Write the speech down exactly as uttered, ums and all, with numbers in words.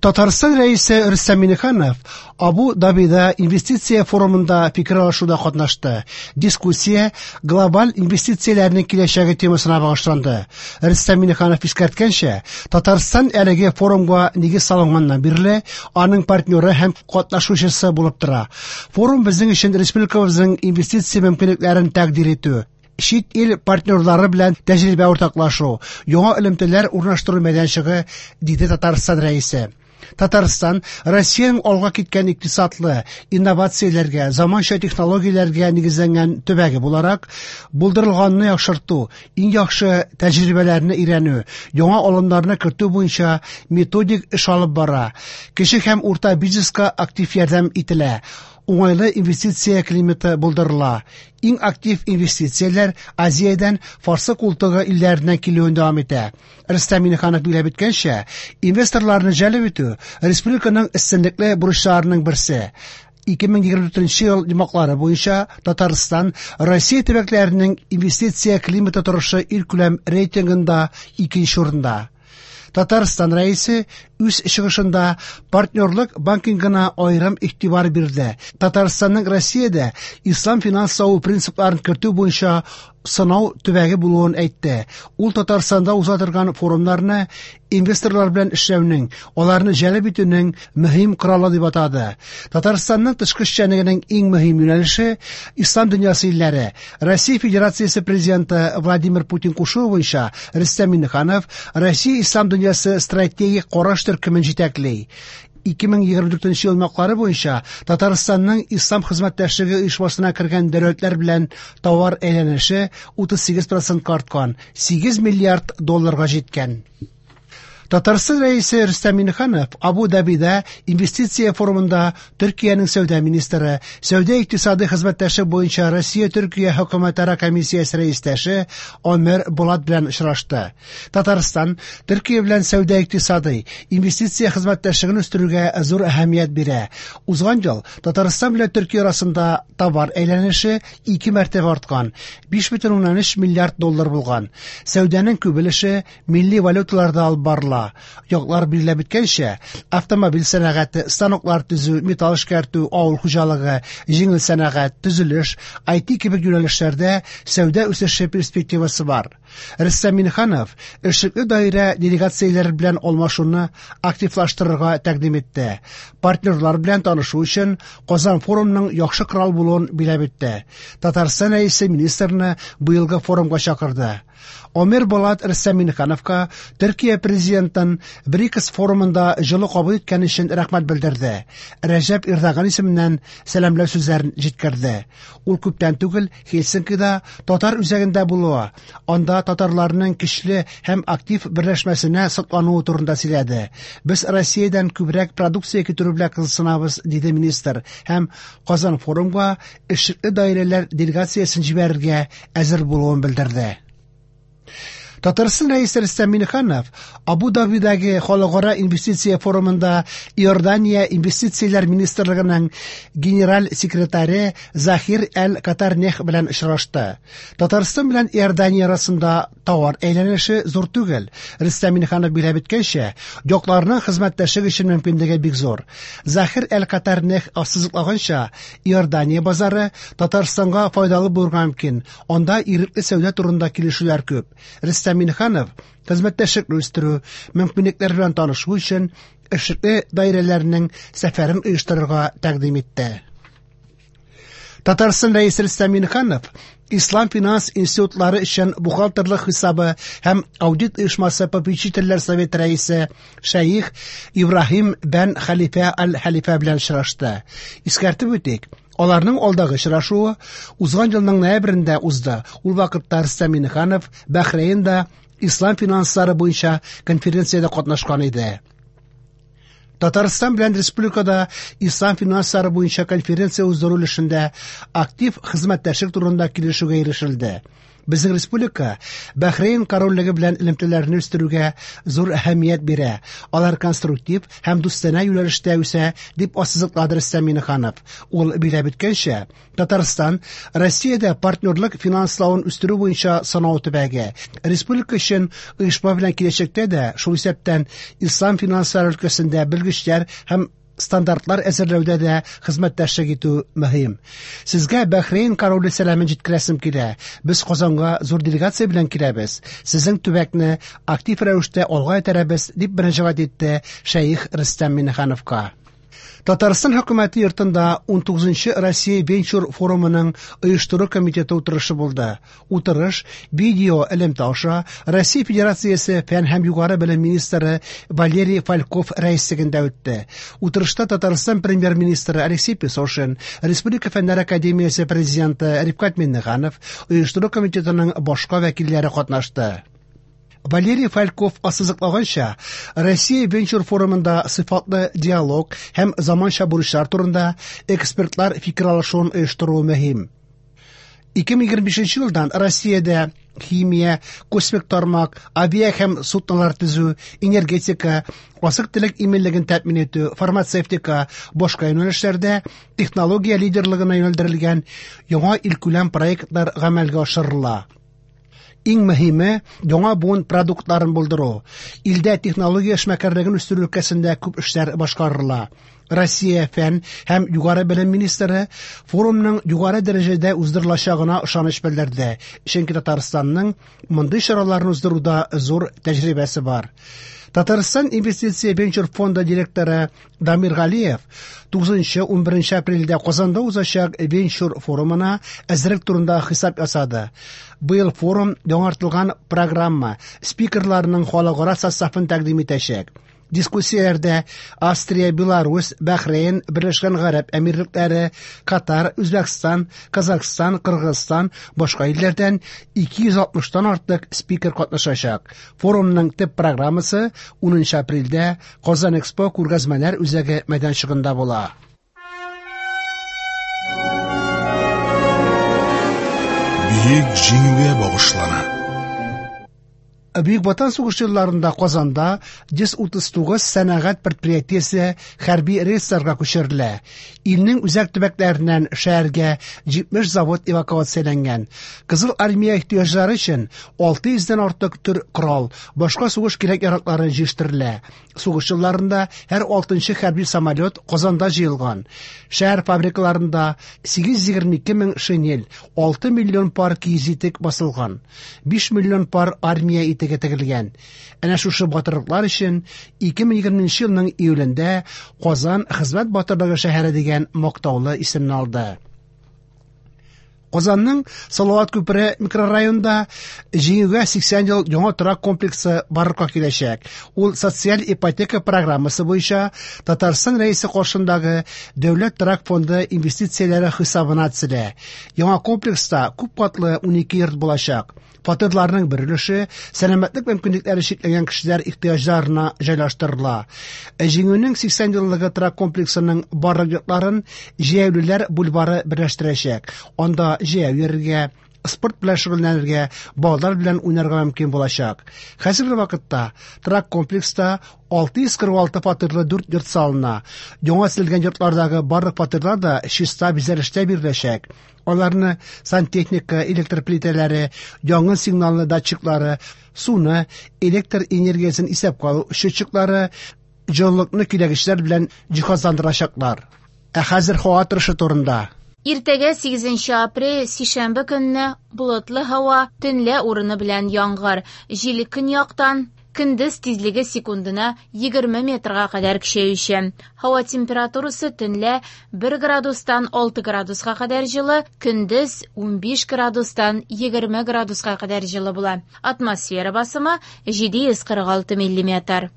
Татарстан Рәисе Рөстәм Миңнеханов Абу-Дабида инвестиция форумында фикер алышуда катнашты. Дискуссия глобаль инвестицияләрнең киләчәге темасына багышланды. Рөстәм Миңнеханов искәрткәнчә, Татарстан әлеге форумга нигез салынганнан бирле аның партнеры һәм катнашучысы булып тора. Форум безнең өчен республикабызның инвестиция мөмкинлекләрен тәкъдир итү, чит ил партнерлары белән тәҗрибә уртаклашу, яңа элемтәләр урнаштыру мәйданчыгы, диде Татарстан Рәисе. Татарстан Россиянең алга киткән икътисадлы, инновацияләргә, заманча технологияләргә нигезләнгән төбәге буларак, булдырылганны яхшырту, иң яхшы тәҗрибәләрне өйрәнү, яңа алымнарны кертү буенча методик эш алып бара. Кече һәм урта бизнеска актив ярдәм ителә. Уңайлы инвестиция климаты булдырыла. Иң актив инвестицияләр Азиядән Фарсы култыгы илләреннән килүен дәвам итә. Рөстәм Миңнеханов билгеләп үткәнчә, инвесторларны җәлеп итү республиканың өстенлекле бурычларының берсе. ике мең егерме дүртенче ел йомгаклары буенча Татарстан Россия төбәкләренең инвестиция климаты торышы илкүләм рейтингында икенче урында. Татарстан Рәисе үз чыгышында партнерлык банкингына аерым игътибар бирде. Татарстанның Россиядә ислам финанславы принципларын кертү буенча сынау төбәге булуын әйтте. Ул Татарстанда уза торган форумнарны инвесторлар белән эшләүнең, аларны җәлеп итүнең мөһим коралы дип атады. Татарстанның тышкы эшчәнлегенең иң мөһим юнәлеше ислам дөньясы илләре. Россия Федерациясе президенты Владимир Путин кушуы буенча Рөстәм Миңнеханов Россия ислам дөньясы стратегик караш төркемен җитәкли. ике мең егерме дүртенче ел йомгаклары буенча Татарстанның ислам хезмәттәшлеге оешмасына кергән дәүләтләр белән товар әйләнеше утыз сигез процентка арткан, сигез миллиард долларга җиткән. Татарстан Рәисе Рөстәм Миңнеханов Абу-Дабида инвестиция форумында Төркиянең сәүдә министры, сәүдә икътисади хезмәттәшлек буенча Россия-Төркия хөкүмәтара комиссиясе рәистәше Омер Булат белән очрашты. Татарстан Төркия белән сәүдә икътисади инвестиция хезмәттәшлеген үстерүгә зур әһәмият бирә. Узган ел Татарстан белән Төркия арасында товар әйләнеше ике мәртәбә арткан, биш бөтен уннан өч миллиард доллар булган. Сәүдәнең күп өлеше милли валюталарда алып барыла. Яклар билгеләп үткәнчә, автомобиль сәнәгате, станоклар төзү, металл эшкәртү, авыл хуҗалыгы, җиңел сәнәгать, төзелеш, ай ти кебек юнәлешләрдә сәүдә үсеше перспективасы бар. Рөстәм Миңнеханов эшлекле даирә делегацияләре белән алмашуны активлаштырырга тәкъдим итте. Партнерлар белән танышу өчен Казан форумының яхшы корал булуын билгеләп үтте. Татарстан Рәисе министрны быелгы форумга чакырды. Омер Булат Рөстәм Миңнехановка Төркия президентын БРИКС форумында җылы кабул иткән өчен рәхмәт белдерде. Рәҗәп Эрдоган исеменнән сәламләү сүзләрен җиткерде. Ул күптән түгел Хельсинкида татар үзәгендә булуы, анда татарларның көчле һәм актив берләшмәсенә соклануы турында сөйләде. Без Россиядән күбрәк продукция китерү белән кызыксынабыз, диде министр, һәм Казан форумга эшлекле даирәләр делегациясен җибәрергә әзер булуын белдерде. Татарстан Рәисе Рөстәм Миңнеханов Абу-Дабидагы халыкара инвестиция форумында Иордания инвестицияләр министрлыгының генераль секретаре Захир Әл-Катарнех белән очрашты. Татарстан белән Иордания арасында товар әйләнеше зур түгел. Рөстәм Миңнеханов билгеләп үткәнчә, якларның хезмәттәшлек өчен мөмкинлеге бик зур. Захир Әл-Катарнех ассызыклаганча, Иордания базары Татарстанга файдалы булырга мөмкин. Анда ирекле сәүдә турында килешүләр күп. Рөстәм Миңнеханов хезмәттәшлекне үстерү, мөмкинлекләр белән танышу өчен эшлекле даирәләрнең сәфәрен оештырырга тәкъдим итте. Татарстан Рәисе Рөстәм Миңнеханов Ислам финанс институтлары өчен бухгалтерлык хисабы һәм аудит оешмасы попечительләр советы рәисе Шәех Ибраһим бән Хәлифә Аль-Хәлифә белән очрашты. Искәртеп үтик, аларның алдагы очрашуы узган елның ноябрендә узды. Ул вакытта Рөстәм Миңнеханов Бәхрәйндә ислам финанслары буенча конференциядә катнашкан иде. Татарстан белән республикада ислам финанслары буенча конференция уздыру өлешендә актив хезмәттәшлек турында килешүгә ирешелде. Безнең республика Бәхрейн корольлеге белән элемтәләрне үстерүгә зур әһәмият бирә. Алар конструктив һәм дустанә юнәлештә үсә, дип ассызыклады Рөстәм Миңнеханов. Ул билгеләп үткәнчә, Татарстан Россиядә партнерлык финанславын үстерү буенча сынау төбәге. Республика өчен оешма белән киләчәктә дә, шул исәптән ислам финанслары өлкәсендә белгечләр һәм стандартлар әзерләүдә дә хезмәттәшлек итү мөһим. Сезгә Бәхрейн короле сәламен җиткерәсем килә. Без Казанга зур делегация белән киләбез. Сезнең төбәкне актив рәвештә алга этәрәбез, дип мөрәҗәгать итте шәех Рөстәм Миңнехановка. Татарстан хөкүмәте йортында ун тугызынчы Россия венчур форумының оештыру комитеты утырышы булды. Утырыш видео элемтә аша Россия Федерациясе фән һәм югары белем министры Валерий Фальков рәислегендә үтте. Утырышта Татарстан премьер-министры Алексей Песошин, Республика Фәннәр академиясе президенты Рифкать Миңнеханов, оештыру комитетының башка вәкилләре катнашты. Валерий Фальков ассызыклаганча, Россия венчур форумында сыйфатлы диалог һәм заманча бурычлар турында экспертлар фикер алышуын оештыру мөһим. ике мең егерме бишенче елдан Россиядә химия, космик тармак, авиа һәм суднолар төзү, энергетика, азык-төлек иминлеген тәэмин итү, фармацевтика, башка юнәлешләрдә технология лидерлыгына юнәлдерелгән яңа илкүләм проектлар гамәлгә ашырыла. Иң мөһиме яңа буын продуктларын булдыру. Илдә технология эшмәкәрлеген үстерү өлкәсендә күп эшләр башкарыла. Россия фән һәм югары белем министры форумның югары дәрәҗәдә уздырылачагына ышаныч белдерде. Чөнки Татарстанның мондый чараларны уздыруда зур тәҗрибәсе бар. Татарстан инвестиция венчур фонды директоры Дамир Галиев тугызынчы ун беренче апрельдә Казанда узачак венчур форумына әзерлек турында хисап ясады. Быел форум яңартылган программа спикерларының халыкара составын тәкъдим итәчәк. Дискуссияләрдә Австрия, Беларусь, Бәхрейн, Берләшкән Гарәп Әмирлекләре, Катар, Үзбәкстан, Казахстан, Кыргызстан, башка илләрдән ике йөз алтмыштан артык спикер катнашачак. Форумның төп программасы унынчы апрельдә Казан Экспо күргәзмәләр үзәге мәйданчыгында була. Бөек Җиңүгә багышлана. Бөек Ватан сугышы елларында Казанда йөз утыз тугыз сәнәгать предприятиесе хәрби рейсларга күчерелә. Илнең үзәк төбәкләреннән шәһәргә җитмеш завод эвакуацияләнгән. Кызыл армия ихтыяҗлары өчен алты йөздән артык төр корал, башка сугыш кирәк-яраклары җыештырыла. Сугыш елларында һәр алтынчы хәрби самолет Казанда җыелган. Шәһәр фабрикаларында сигез йөз егерме ике мең шинель, алты миллион пар киез итек басылган, биш миллион пар армия итеге тегелгән. Әнә шушы батырлыклар өчен ике мең егерменче елның июлендә Казан хезмәт батырлыгы шәһәре дигән мактаулы исемне алды. Казанның Салават күпере микрорайонында Җиңүгә сиксән ел яңа торак комплексы барлыкка киләчәк. Ул социаль ипотека программасы буенча Татарстан Рәисе каршындагы Дәүләт торак фонды инвестицияләре хисабына төзелә. Яңа комплекста күп катлы унике йорт булачак. Фатирларның бер өлеше сәламәтлек мөмкинлекләре чикләнгән кешеләр ихтыяҗларына җайлаштырыла. Җиңүнең сиксән еллыгы торак комплексының барлык йортларын җәяүлеләр бульвары берләштерәчәк. Анда җәяү йөрергә, спорт белән шөгыльләнергә, балалар белән уйнарга мөмкин булачак. Хәзерге вакытта торак комплекста алты йөз кырык алты фатирлы дүрт йорт салына. Яңа төзелгән йортлардагы барлык фатирлар да чиста бизәлештә биреләчәк. Аларны сантехника, электр плитәләре, янгын сигналлы датчиклары, суны, электр энергиясен исәпкә алу счетчиклары, җылылыкны көйләгечләр белән җиһазландырачаклар. Ә хәзер һава торышы турында. Иртәгә сигезенче апрель сишәмбе көнне болытлы һава, төнлә урыны белән яңгыр, җил көньяктан, көндез тизлеге секундына егерме метрга кадәр көчәюче. Һава температурасы төнлә бер градустан алты градуска кадәр җылы, көндез унбиш градустан егерме градуска кадәр җылы була. Атмосфера басымы җиде йөз кырык алты миллиметр.